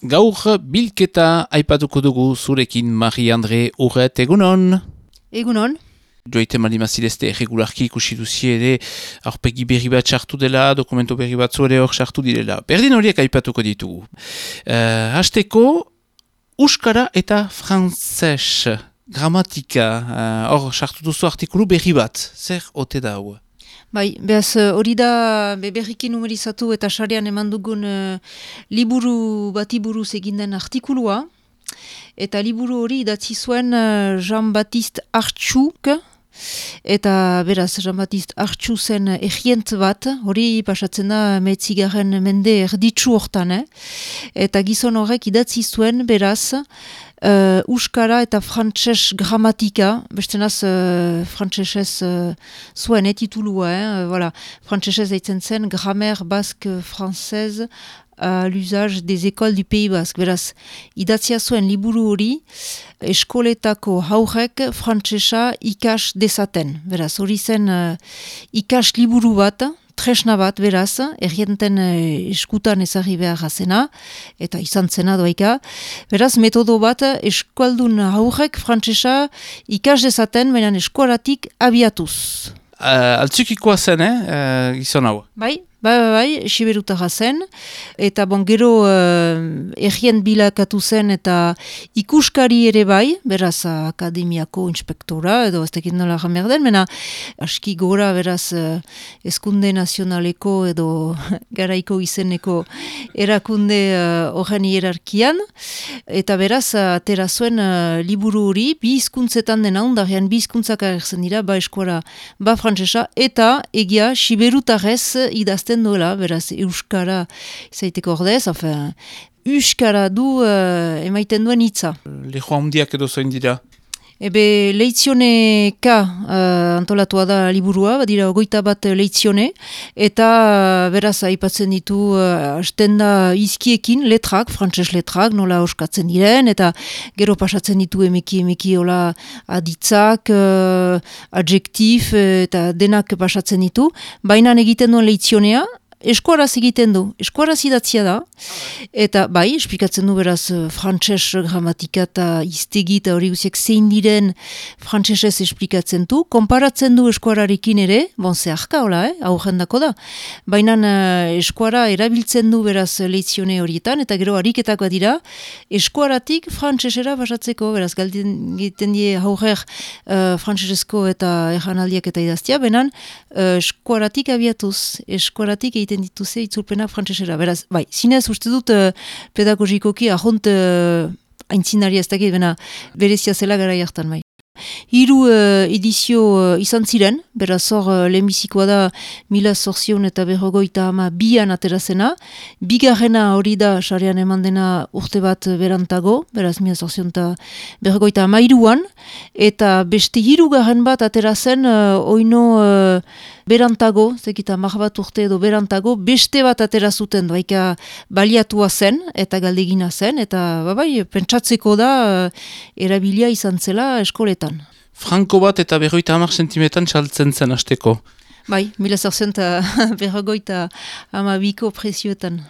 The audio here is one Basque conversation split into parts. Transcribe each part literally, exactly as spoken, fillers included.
Gaur bilketa aipatuko dugu zurekin Marie-Andre Urret, egunon? Egunon. Joite malimazidezte erregularki ikusi duzie ere aurpegi berri bat sartu dela, dokumento berri bat zuere hor sartu direla. Berdin horiek aipatuko ditugu. Uh, hasteko, Euskara eta Frantzes gramatika, hor uh, sartu duzu artikulu berri bat. Zer ote da hau? Bai, behaz hori da be berriki numerizatu eta sarean eman dugun uh, liburu bati buruz eginden artikulua. Eta liburu hori idatzi zuen uh, Jean-Baptiste Artxuk, eta beraz Jean-Baptiste Artxu zen egient bat, hori pasatzen da metzigaren mende erditsu hortan, eh? Eta gizon horrek idatzi zuen beraz, Uh, Euskara eta frantses gramatika, bestenaz uh, frantsesez uh, zuen etitulua, eh? Voilà. Frantsesez deitzen zen Grammaire basque française à l'usage des écoles du Pays Basque. Beraz, idatzia zuen liburu hori eskoletako haurrek frantsesa ikas dezaten. Beraz, hori zen uh, ikas liburu bat, tresna bat, beraz, errienten eh, eskutan ezagri behar zena, eta izan zena doaika. Beraz, metodo bat, eskualdun haurrek frantsesa ikas dezaten, baina eskolatik abiatuz. Uh, Altzukikoa zen, eh, uh, gizon hau? Bai, bai, bai, bai, siberutara zen, eta bon, gero uh, errien bilakatu zen, eta ikuskari ere bai, beraz akademiako inspektora, edo ez tekit nola jamer den, mena aski gora, beraz uh, eskunde nazionaleko edo garaiko izeneko erakunde horren uh, hierarkian, eta beraz atera zuen uh, liburu hori, bi hizkuntzetan dena, ondarean bi hizkuntzak agertzen dira, ba eskuara, ba frantsesa, eta egia siberutarez idazten duela, beraz, Euskara izaiteko ordez, enfin, Euskara du uh, emaiten duen hitza. Lehoa hundiak edo zoin dira? Ebe, leitzioneka uh, antolatua da liburua, badira ogoita bat leitzione, eta uh, beraz, aipatzen ditu uh, hasten da izkiekin letrak, frantses letrak, nola oskatzen diren, eta gero pasatzen ditu emeki emeki hola aditzak, uh, adjektif, eta denak pasatzen ditu, baina egiten duen leitzionea, eskuaraz egiten du, eskuaraz idatzia da, eta bai, esplikatzen du beraz frantses gramatika eta iztegi eta hori guziak zein diren frantsesez esplikatzen du, konparatzen du eskuararekin ere, bon zeharka hola, eh, aurrendako da, baina uh, eskuara erabiltzen du beraz leitzione horietan, eta gero ariketak dira, eskuaratik frantsesera basatzeko, beraz galden egiten die aurrer uh, frantsesezko eta erranaldiak eta idaztia, benan uh, eskuaratik abiatuz, eskuaratik egiten dituze itzulpena frantsesera. Beraz, bai, zinez uste dut uh, pedagogikoki ahont uh, aintzinari ez dakit, bena berezia zela gara jartan bai. Hiru uh, edizio uh, izan ziren, beraz hor uh, lehenbizikoa da mila zorzion eta berrogoita ama bian aterazena, bigarrena hori da sarean eman dena urte bat berantago, beraz mila zorzion eta berrogoita ama iruan, eta beste hirugarren bat aterazen uh, oino uh, berantago, zekita mar bat urte edo berantago, beste bat aterazuten doaika baliatua zen, eta galdegina zen, eta babai, pentsatzeko da uh, erabilia izan zela eskoletan. Franko bat eta berroita hamar sentimetan txaltzen zen hasteko. Bai, mila zorzion eta berrogoita amabiko prezioetan.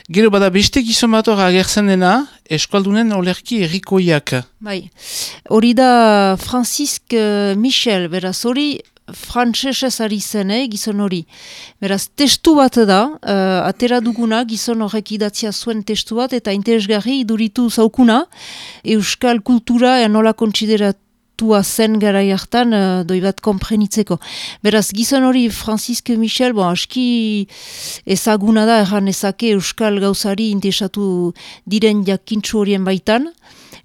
Gero bada beste gizon bat hor agertzen dena, eskualdunen olerki errikoiak. Bai, hori da Francisque Michel, beraz hori frantsesez ari zen, eh, gizon hori. Beraz, testu bat da, uh, atera duguna, gizon horrek idatzia zuen testu bat, eta interesgarri iduritu zaukuna, euskal kultura ea nola kontsideratu zen gara jartan, uh, doi bat komprenitzeko. Beraz, gizon hori Francisque Michel, bon, aski ezaguna da, erran ezake euskal gauzari interesatu diren jakintzu horien baitan.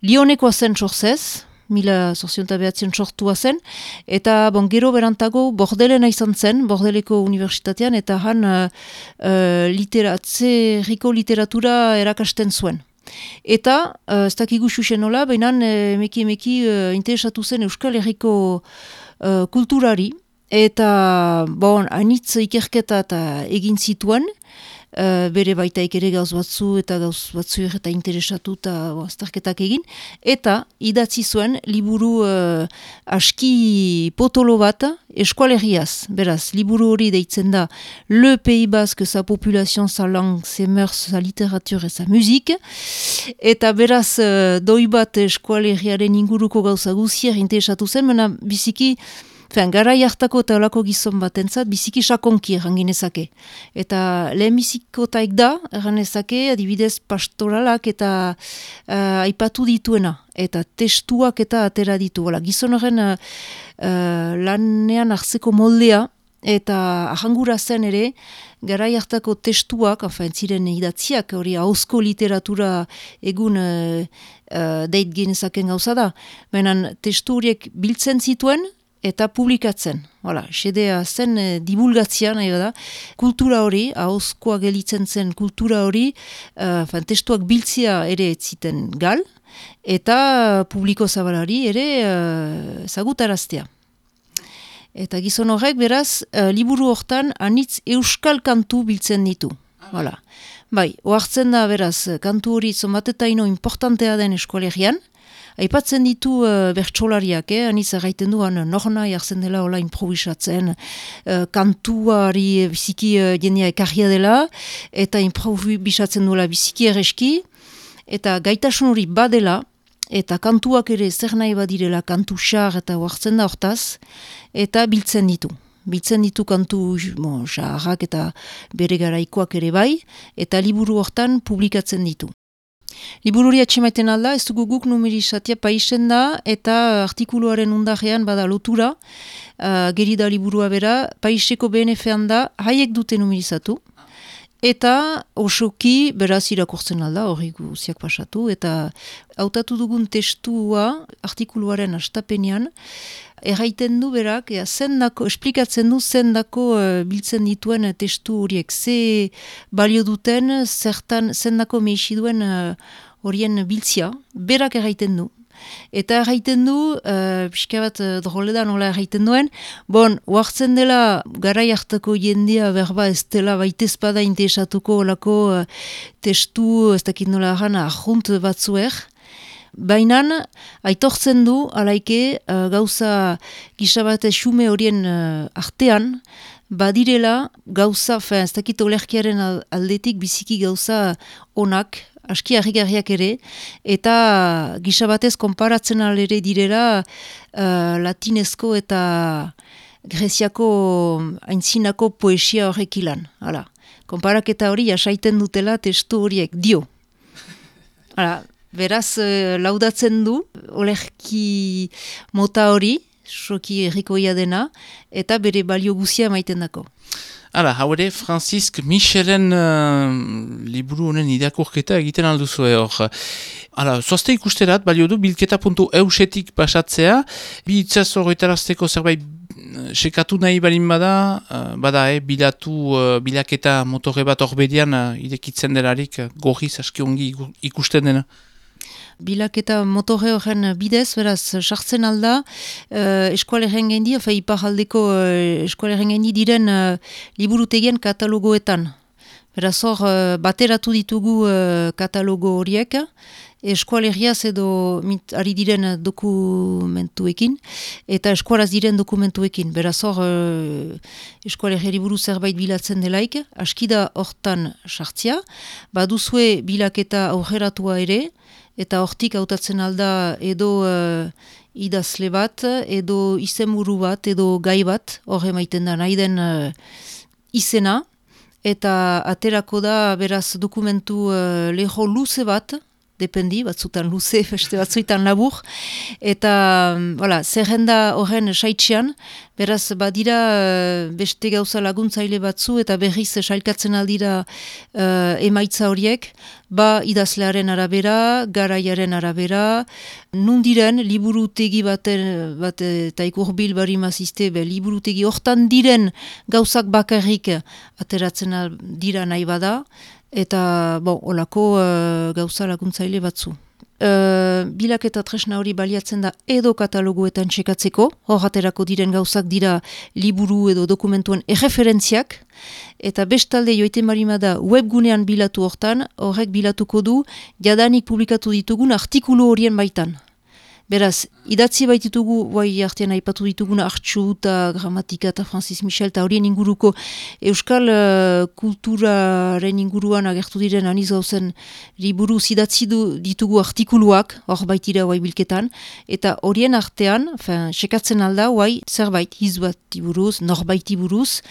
Lionekoa zen sorzez, mila zorzion eta behatzen sortua zen, eta bon, gero berantago bordelena izan zen, bordeleko unibertsitatean, eta han uh, uh, literatze, riko literatura erakasten zuen. Eta, uh, ez dakigu xuxen nola, baina emeki emeki uh, interesatu zen Euskal Herriko uh, kulturari, eta bon, anitz ikerketa eta egin zituen, uh, bere baitaik ere gauz batzu eta gauz batzu eta interesatu eta azterketak egin, eta idatzi zuen liburu uh, aski potolo bat eskualeriaz. Beraz, liburu hori deitzen da Le Pays Basque, sa population, sa langue, ses mœurs, sa littérature et sa musique, eta beraz uh, doi bat eskualeriaren inguruko gauza guzier interesatu zen, mena biziki Fean, garai hartako eta olako gizon batentzat biziki sakonki erranginezake. Eta lehenbizikotaik da, erranezake, adibidez pastoralak eta uh, aipatu dituena. Eta testuak eta atera ditu. Ola, gizon horren uh, uh, lanean hartzeko moldea eta ahangura zen ere, garai hartako testuak, afen, ziren idatziak, hori ahozko literatura egun uh, uh, deit genezaken gauza da. Benan testu horiek biltzen zituen, eta publikatzen. Hala, xedea zen e, divulgatzia nahi da. Kultura hori, ahozkoa gelitzen zen kultura hori, uh, testuak biltzia ere etziten gal, eta publiko zabalari ere uh, zagutaraztea. Eta gizon horrek beraz, uh, liburu hortan anitz euskal kantu biltzen ditu. Hala. Bai, ohartzen da beraz, kantu hori zonbatetaino importantea den eskualerian, aipatzen ditu uh, bertsolariak, eh? Aniz erraiten duan norna jartzen dela hola improvisatzen, uh, kantuari biziki uh, jendea ekarria dela, eta improvisatzen duela biziki ereski, eta gaitasun hori badela, eta kantuak ere zer nahi badirela, kantu xar eta hartzen da hortaz, eta biltzen ditu. Biltzen ditu kantu bon, xarrak eta bere garaikoak ere bai, eta liburu hortan publikatzen ditu. Libururi atxemaiten alda, ez dugu guk numerizatia paisen da, eta artikuluaren undarrean bada lotura, uh, geri da liburua bera, paiseko B N F-an da, haiek dute numerizatu, eta osoki beraz irakurtzen alda, hori guziak pasatu, eta hautatu dugun testua artikuluaren astapenean, erraiten du berak, ea, zendako, esplikatzen du zendako uh, biltzen dituen testu horiek, ze balio duten, zertan zendako meixi duen uh, horien biltzia, berak erraiten du. Eta erraiten du, uh, pixka bat uh, droledan nola erraiten duen, bon, oartzen dela garai hartako jendea berba ez dela baitezpada interesatuko olako uh, testu, ez dakit nola erran, ahunt batzuer, bainan, aitortzen du, alaike, uh, gauza gisabate xume horien uh, artean, badirela gauza, fe, ez dakit olerkiaren aldetik biziki gauza onak, aski harrigarriak ere, eta gisabatez konparatzen alere direla uh, latinezko eta greziako aintzinako poesia horrek ilan. Hala, konparaketa hori jasaiten dutela testu horiek dio. Hala, beraz, laudatzen du, olerki mota hori, soki errikoia dena, eta bere balio guzia emaiten dako. Hala, hau ere, Franzisk Michelen uh, liburu honen irakurketa egiten alduzue hor. Hala, zoazte ikusterat, balio du, bilketa puntu eusetik pasatzea, bi itzaz horretarazteko zerbait sekatu nahi balin bada, uh, bada, eh, bilatu, uh, bilaketa motore bat horbedian uh, irekitzen delarik, uh, gorriz aski ongi ikusten dena. Bilaketa motore horren bidez, beraz, sartzen alda, uh, eskualeren gendi, ofa iparaldeko uh, eskualeren gendi diren uh, liburutegien katalogoetan. Beraz hor, uh, bateratu ditugu uh, katalogo horiek, eskualeriaz edo mit, ari diren dokumentuekin, eta eskualaz diren dokumentuekin. Beraz hor, uh, eskualeria liburu zerbait bilatzen delaik, askida hortan sartzia, baduzue bilaketa aurreratua ere, eta hortik hautatzen alda edo uh, idazle bat, edo izenburu bat, edo gai bat, hor emaiten da nahi den uh, izena, eta aterako da beraz dokumentu uh, leho luze bat, dependi, batzutan luze, beste batzuetan labur, eta voilà, zerrenda horren saitxean, beraz badira beste gauza laguntzaile batzu, eta berriz sailkatzen aldira uh, emaitza horiek, ba idazlearen arabera, garaiaren arabera, nundiren liburutegi baten, bat eta ikurbil bari mazizte, be, liburutegi hortan diren gauzak bakarrik ateratzen dira nahi bada, eta bon, olako uh, gauza laguntzaile batzu. uh, bilaketa tresna hori baliatzen da edo kataloguetan txekatzeko, hor aterako diren gauzak dira liburu edo dokumentuen erreferentziak, eta bestalde joiten marima da webgunean bilatu hortan, horrek bilatuko du jadanik publikatu ditugun artikulu horien baitan. Beraz, idatzi baititugu, guai artean aipatu dituguna Artxu eta Gramatika eta Francis Michel eta horien inguruko euskal uh, kulturaren inguruan agertu diren aniz gauzen liburu idatzi du, ditugu artikuluak, hor baitira guai bilketan, eta horien artean, fin, sekatzen alda, guai zerbait hizbati buruz, norbaiti buruz,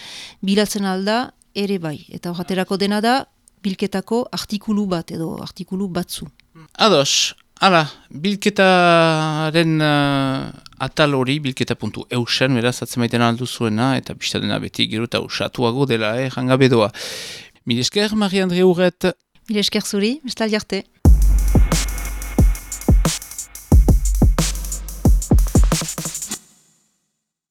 bilatzen alda ere bai. Eta horreterako dena da, bilketako artikulu bat edo artikulu batzu. Ados. Hala, bilketaren uh, atal hori, bilketa puntu eusen, beraz, atzemaiten aldu zuena, eta biztadena beti gero eta usatuago dela, eh, jangabe doa. Mil esker, Marie-Andre Urret. Mil esker zuri, bestaldi arte.